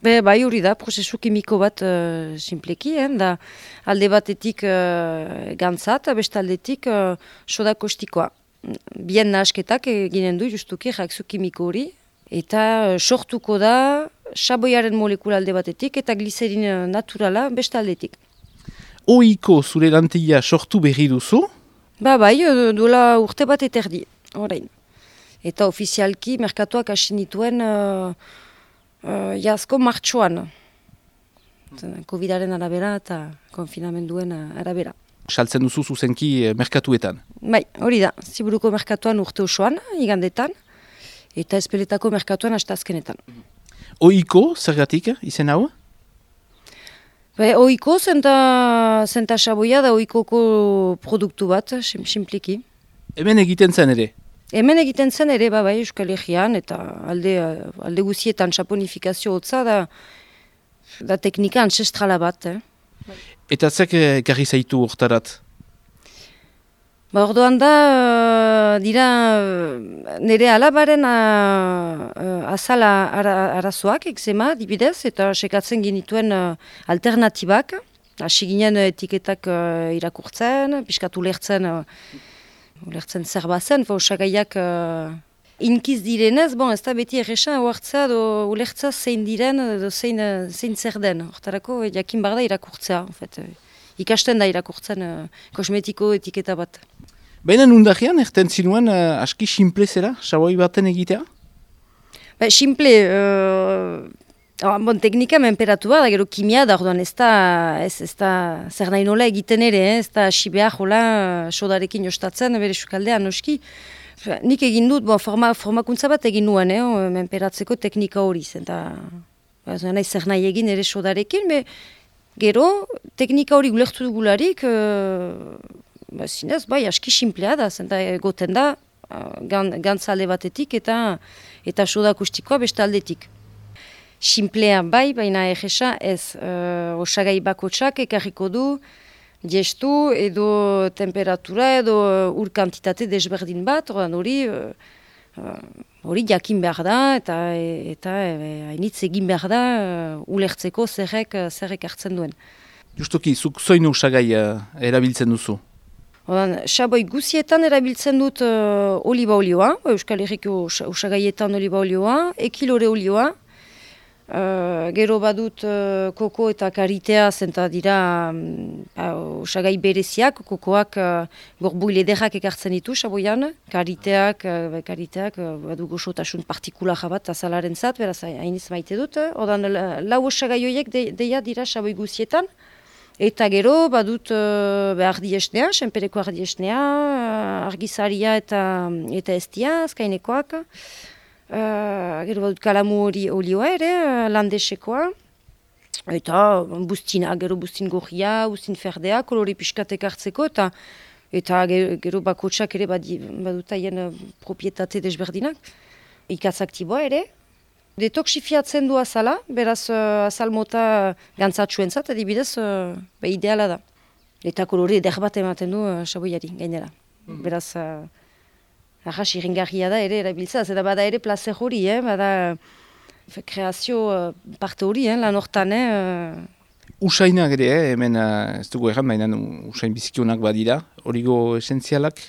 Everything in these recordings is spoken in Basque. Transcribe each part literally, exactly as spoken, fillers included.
Be, bai hori da, prozesu kimiko bat uh, simpleki, eh, da alde batetik uh, gantza eta beste aldetik uh, soda kostikoa. Bien nahasketak eginen du justuki reakzio kimiko hori, eta uh, sortuko da xaboiaren molekula alde batetik eta glizerin naturala beste aldetik. Ohiko zure lantila sortu berri duzu? Ba bai, duela urte bat eterdi, orain. Eta ofizialki merkatuak hasi nituen uh, Uh, Jazko martxoan, covidaren arabera eta konfinamenduen arabera. Saltzen duzu zuzenki merkatuetan? Bai, hori da, Ziburuko merkatuan urte osoan, igandetan, eta Ezpeletako merkatuan astazkenetan. Ohiko, zergatik, izen hau? Ba, ohiko, zenta, zenta xaboia da ohikoko produktu bat, simpliki. Hemen egiten zen ere? Hemen egiten zen ere, ba, bai, Euskal Herrian, eta alde, alde guzietan saponifikazio hotza da, da teknika ancestrala bat. Eh? Eta zek garri zaitu hortarat? Ba, ordoan da, dira, nire alabaren uh, azala ara, arazoak, ekzema, dibidez, eta sekatzen genituen uh, alternatibak, hasi ginen etiketak uh, irakurtzen, piskatu lertzen, uh, Ulertzen zer bazen, osagaiak uh, inkiz direnez, bon, ez da beti erresan oartzea do ulertza zein diren, do zein, zein zer den. Hortarako jakin bar da irakurtzea. En fait. Ikasten da irakurtzen uh, kosmetiko etiketa bat. Baina nundagian, erten zinuen uh, aski simple zera, xaboi baten egitea? Ba, simple, uh, oh, bon, teknika menperatu da, gero kimia da, orduan ez da, ez, ez da zer nahi nola egiten ere, eh? Ez da hasi behar jola sodarekin jostatzen, bere sukaldean noski. Nik egin dut, bon, forma, formakuntza bat egin nuen, eh? Menperatzeko teknika hori zen, eta nahi zer nahi egin ere sodarekin, be, gero teknika hori gulertu dugularik, uh, ba, zinez, bai, aski simplea da, zen da goten da, uh, gantza alde batetik eta, eta soda akustikoa beste aldetik. Simplea bai, baina egesa ez, uh, osagai bakotsak ekarriko du, gestu edo temperatura edo uh, ur kantitate desberdin bat, hori uh, hori jakin behar da eta eta hainitz egin behar da uh, ulertzeko zerrek, zerrek hartzen duen. Justoki, zuk zoin osagai uh, erabiltzen duzu? Odan, xaboi guzietan erabiltzen dut uh, oliba olioa, Euskal Herriko osagaietan oliba olioa, ekilore olioa, Uh, gero badut uh, koko eta karitea zenta dira um, osagai bereziak, kokoak uh, gorbuil ederrak ekartzen ditu xaboian, kariteak, uh, kariteak uh, badu goxotasun partikula jabat azalaren zat, beraz hainiz maite dut. Odan lau osagai horiek de, deia dira xaboi guzietan, eta gero badut uh, ardi esnea, senpereko ardi esnea, uh, argizaria eta, eta estia, azkainekoak. Uh, gero badut kalamu hori olioa ere, uh, landesekoa, eta bustina, gero bustin gorria, bustin ferdea, kolori piskatek hartzeko, eta eta gero, gero bakotsak ere badi, badut haien uh, propietate desberdinak. Ikatz aktiboa ere. Detoxifiatzen du azala, beraz uh, azal mota gantzatxuen zat, adibidez, uh, ba, ideala da. Eta kolori eder bat ematen du uh, xaboiari, gainera. Mm. Beraz... Uh, Arras iringarria da ere erabiltza, eta bada ere plazer hori, eh? Bada fe, kreazio uh, parte hori, eh? Lan hortan. Eh? Usainak ere, eh? Hemen uh, ez dugu erran, baina usain bizikionak badira, origo esentzialak,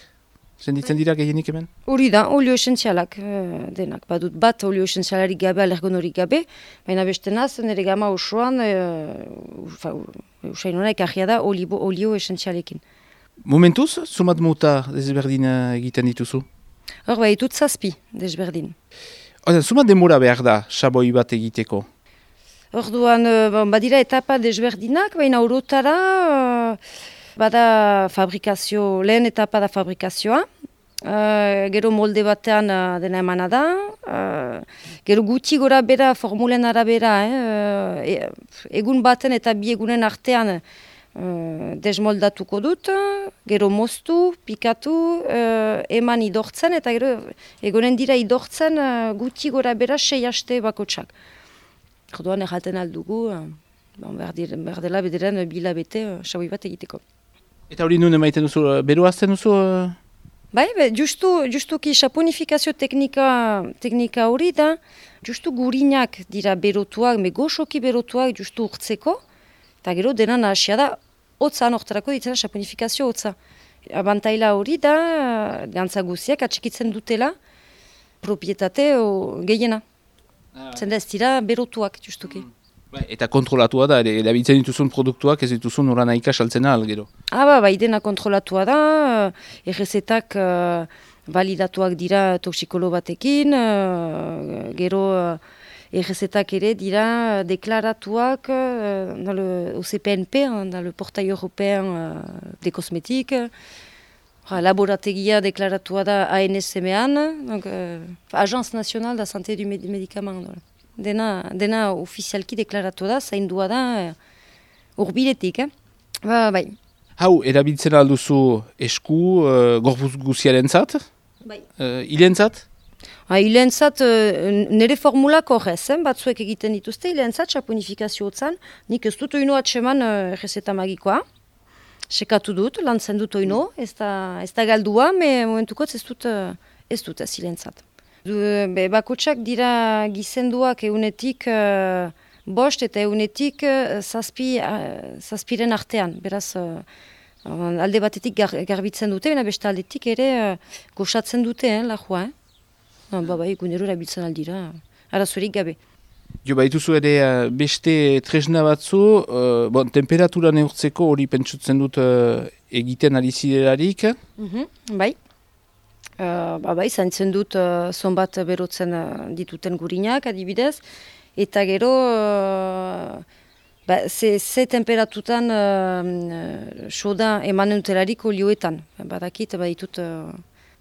senditzen dira gehienik hemen? Hori da, olio esentzialak uh, denak, badut bat olio esentzialarik gabe, alergonorik gabe, baina beste naz, nire gama osoan, uh, usain honak argia da, olio, olio esentzialekin. Momentuz, zumat mota desberdin egiten dituzu? Hor, bai, dut zazpi, desberdin. Oda, zumat demora behar da, xaboi bat egiteko? Orduan, badira etapa desberdinak, baina orotara, bada fabrikazio, lehen etapa da fabrikazioa, uh, gero molde batean uh, dena emana da, uh, gero guti gora bera, formulen arabera, eh, uh, egun baten eta bi egunen artean, Uh, desmoldatuko dut, gero moztu, pikatu, uh, eman idortzen, eta gero egonen dira idortzen uh, guti gora bera sei haste bakotsak. Orduan erraten aldugu, uh, bon, behar, dir, behar dela bediren bila bete uh, xaboi bat egiteko. Eta hori nuen emaiten duzu, beru azten duzu? Uh... Bai, be, justu, justuki saponifikazio teknika, teknika hori da, justu gurinak dira berotuak, me goxoki berotuak justu urtzeko, eta gero dena nahasia da, hotza nortarako ditzena saponifikazio hotza. Abantaila hori da, gantza guziak atxikitzen dutela, propietate o, gehiena. Ah, Zenda ez dira berotuak justuki. Mm. Eta kontrolatua da, erabiltzen dituzun produktuak ez dituzun nola nahika saltzen ahal, gero? Ah, ba, bai, dena kontrolatua da, errezetak uh, validatuak dira toksikolo batekin, uh, gero uh, errezetak ere dira deklaratuak uh, dans le, au C P N P, hein, dans le portail européen uh, des cosmétiques. Uh, laborategia deklaratua da A N S M-an, donc, uh, Agence Nationale da Santé du Médicament. Voilà. Dena, dena ofizialki deklaratu da, zaindua da urbiletik, eh? Ba, bai. Hau, erabiltzen alduzu esku, uh, gorpuz guziaren zat? Bai. Uh, Ilentzat? Ha, ilentzat, uh, nire formulak horrez, eh? Batzuek egiten dituzte, ilentzat, saponifikazio hotzan, nik ez dut oino atseman uh, errezeta magikoa. Sekatu dut, lantzen dut oino, ez da, ez da galdua, me momentukotz ez dut, uh, ez dut ez ilentzat. Be, bakotsak dira gizenduak eunetik uh, bost eta eunetik uh, zazpi, uh, zazpiren artean. Beraz, uh, alde batetik gar, garbitzen dute, baina beste aldetik ere uh, goxatzen dute, eh, lajua. Eh? No, ba, bai, gunero erabiltzen aldira, arazorik gabe. Jo, baituzu ere uh, beste tresna batzu, uh, bon, temperatura neurtzeko hori pentsutzen dut uh, egiten ari ziderarik. Mm-hmm, bai. Uh, ba, bai, zaintzen dut uh, zonbat berotzen uh, dituten gurinak, adibidez, eta gero uh, ba, ze, ze temperatutan uh, soda emanen utelarik olioetan. Badakit, ba, ditut uh,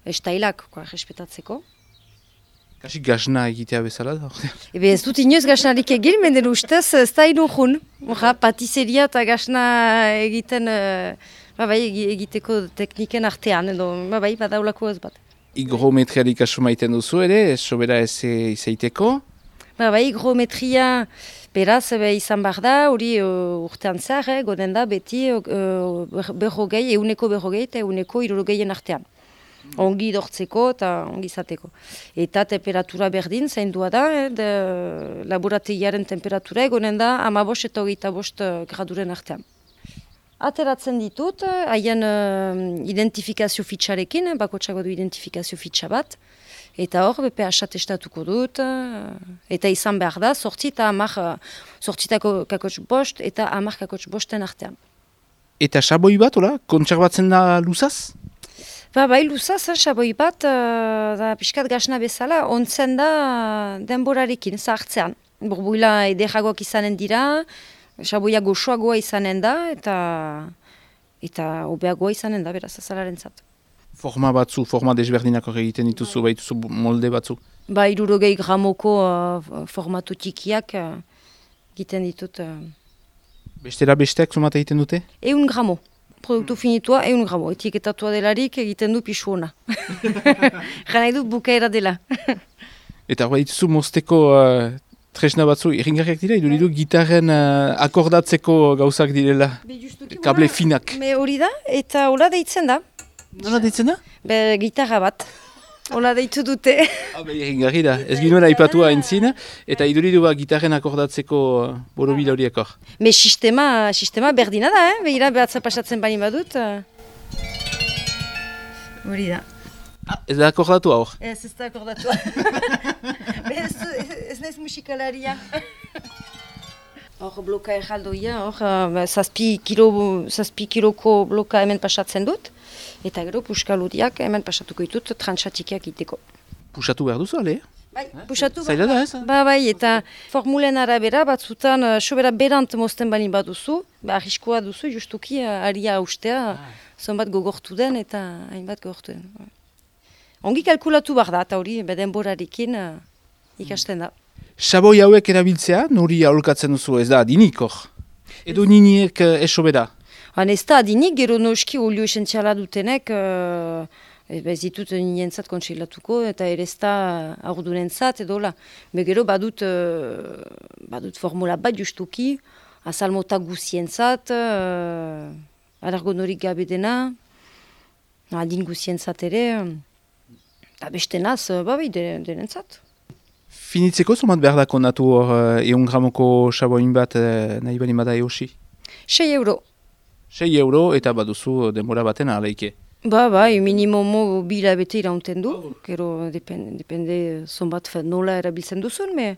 estailak, koa, respetatzeko. Kasik gasna egitea bezala da? Ebe ez dut inoz gasnarik egin, menden ustez ez da inujun. Patizeria eta gasna egiten, uh, ba, bai, egiteko tekniken artean, edo, ba, bai, badaulako ez bat. Higrometriarik asu maiten duzu ere, sobera ez izaiteko? Ba, bai, higrometria beraz be, izan behar da, hori uh, urtean zahar, eh, goden da beti uh, berrogei, euneko berrogei eta euneko hirurogeien artean. Ongi dortzeko eta ongi izateko. Eta temperatura berdin, zaindua da, eh, de, laborategiaren temperatura egonen da amabost eta hogeita bost graduren artean. Ateratzen ditut, haien uh, identifikazio fitxarekin, bakotxago du identifikazio fitxa bat, eta hor, B P H testatuko dut, uh, eta izan behar da, sortzi eta hamar, sortzitako kakotx bost, eta hamar kakotx bosten artean. Eta xaboi bat, ola? Kontserbatzen da luzaz? Ba, bai, luzaz, xaboi bat, uh, da pixkat gasna bezala, ontzen da denborarekin, zahartzean. Burbuila ederagoak izanen dira, xaboia goxoagoa izanen da, eta eta obeagoa izanen da, beraz, azalaren zat. Forma batzu, forma desberdinako egiten dituzu, bai. Baituzu molde batzu? Ba, irurogei gramoko uh, formatu txikiak uh, egiten ditut. Uh. Bestera besteak zumata egiten dute? Eun gramo. Produktu finitua, eun gramo. Etiketatua delarik egiten du pixu hona. Jana edut bukaera dela. Eta hori dituzu mozteko uh, tresna batzu, irringarriak dira, iduridu gitarren uh, akordatzeko gauzak direla, kable finak. Me hori da, eta hola deitzen da. Nola deitzen da? Be, gitarra bat. Hola deitu dute. Ah, be, irringarri da, ez ginuen aipatua entzin, eta iduridu ba gitarren akordatzeko uh, borobila horiek hor. Me sistema, sistema berdina da, eh? Behira behatza pasatzen bali badut. Hori da. Ah, ez da akordatu hor? Ez, ez da akordatu. ez, ez naiz musikalaria. Hor bloka erraldoia, hor uh, zazpi, kilo, zazpi kiloko bloka hemen pasatzen dut. Eta gero puskaludiak hemen pasatuko ditut trantsatikiak iteko. Pusatu behar duzu, ale? Bai, pusatu behar. Zaila da ez? Ba, bai, eta formulen arabera batzutan uh, sobera berant mozten balin baduzu, ba, arriskoa duzu, justuki uh, aria austea, ah. zonbat gogortu den eta hainbat gogortu den. Ongi kalkulatu behar da, eta hori denborarekin uh, ikasten da. Xaboi hauek erabiltzea, nori aholkatzen duzu, ez da adinik hor? Edo niniek uh, esobera? Han ez da adinik, gero noski olio esentziala dutenek, uh, ez ditut ninentzat kontseilatuko, eta ere ez da aurdunentzat, edo la. Be gero badut, uh, badut formula bat justuki, azalmota guzientzat, uh, alargonorik gabe dena, Adin guzientzat ere, eta beste naz, babai, derentzat. Finitzeko zomat behar dako natu hor uh, eun gramoko saboin bat uh, nahi bali bada eosi? Sei euro. Sei euro eta baduzu denbora baten aleike. Ba, bai, minimomo bila bete iraunten du, gero depende, depende zonbat nola erabiltzen duzun, me,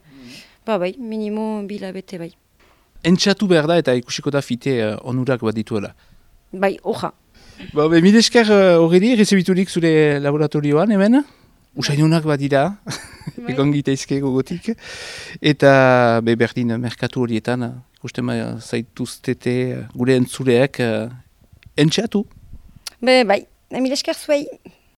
ba, bai, minimo bila bete bai. Entxatu behar da eta ikusiko da fite uh, onurak bat dituela. Bai, oja. Ba, be, mide esker horredi, uh, rezebiturik zure laboratorioan hemen, usainunak bat dira, bai. Egon gitaizke gogotik, eta be, berdin merkatu horietan, ikusten uh, zaituztete uh, gure entzuleak uh, entxatu. Be, bai. Emil esker zuei.